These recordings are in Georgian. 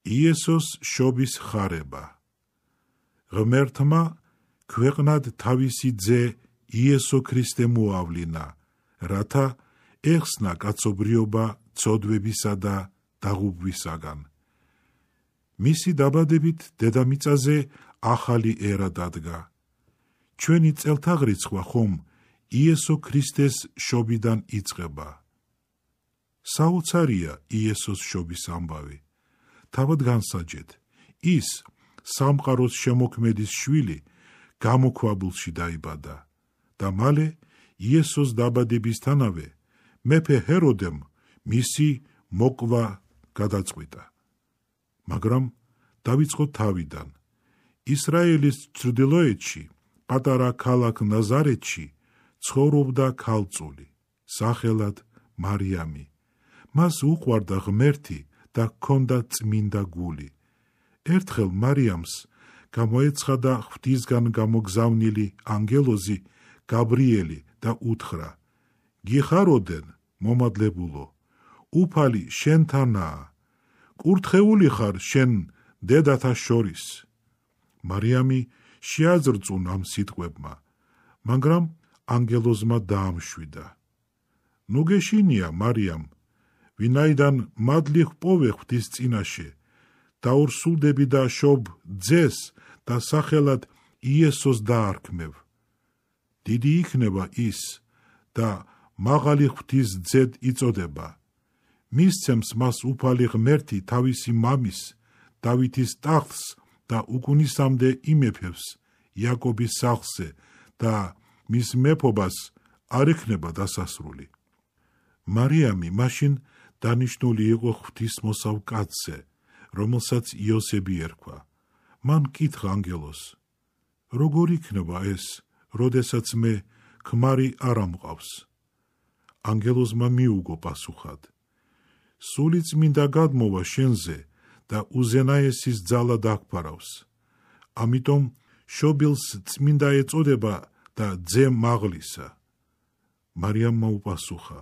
იესოს შობის ხარება. ღმერთმა ქვეყნად თავისი ძე იესო ქრისტე მოავლინა, რათა ეხსნა კაცობრიობა ცოდვებისა და დაღუპვისაგან. მისი დაბადებით დედამიწაზე ახალი ერა დადგა. ჩვენი წელთაღრიცხვა ხომ იესო ქრისტეს შობიდან იწყება. საოცარია იესოს შობის ამბავი. თავად განსაჯეთ, ის სამყაროს შემოქმედის შვილი გამოქვაბულში დაიბადა და მალე იესოს დაბადებისთანავე მეფე ჰეროდემ მისი მოკვა გადაწყვიტა. მაგრამ დავიწყოთ თავიდან. ისრაელის ჩრდილოეთში, პატარა ქალაქ ნაზარეთში ცხოვრობდა ქალწული, სახელად მარიამი. მას უყვარდა ღმერთი და ჰქონდა წმინდა გული. ერთხელ მარიამს გამოეცხადა ღვთისგან გამოგზავნილი ანგელოზი გაბრიელი და უთხრა: გიხაროდენ, მომადლებულო, უფალი შენთანაა, კურთხეული ხარ შენ დედათა შორის. მარიამი შეაძრწუნა ამ სიტყვებმა, მაგრამ ანგელოზმა დაამშვიდა. ნუ გეშინია, მარიამ, ვინაიდან მადლი ჰპოვე ღვთის წინაშე, დაურსულდები და შობ ძეს და სახელად იესოს დაარქმევ. დიდი იქნება ის და მაღალი ღვთის ძედ იწოდება. მისცემს მას უფალი ღმერთი თავისი მამის, დავითის ტახტს და უკუნისამდე იმეფებს იაკობის სახლზე და მის მეფობას არ იქნება დასასრული. მარიამი მაშინ დანიშნული იყო ღვთისმოსავ კაცზე, რომელსაც იოსები ერქვა. მან კითხა ანგელოზს: როგორ იქნება ეს, როდესაც მე ქმარი არ ამყავს? ანგელოზმა მიუგო პასუხად: სული წმინდა გადმოვა შენზე და უზენაესის ძალა დაგფარავს. ამიტომ შობილს წმინდა ეწოდება და ძე მაღლისა. მარიამმა უპასუხა: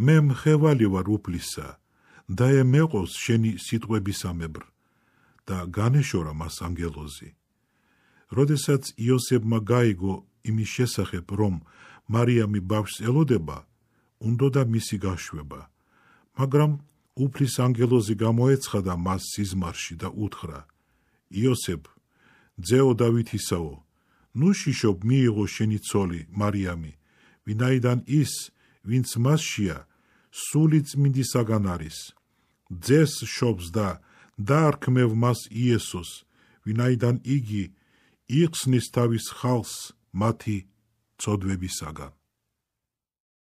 მე მხევალი ვარ უფლისა, და მეყოს შენი სიტყვებისამებრ. და განეშორა მას ანგელოზი. როდესაც იოსებმა გაიგო იმის შესახებ, რომ მარიამი ბავშვს ელოდება, უნდოდა მისი გაშვება. მაგრამ უფლის ანგელოზი გამოეცხადა მას სიზმარში და უთხრა: იოსებ, ძეო დავითისაო, ნუ შიშობ მიიღო შენი ცოლი მარიამი, ვინაიდან ის, ვინც მასშია, სული წმინდისაგან არის. ძეს შობს და დაარქმევ მას იესოს, ვინაიდან იგი იხსნის თავის ხალხს მათი ცოდვებისაგან.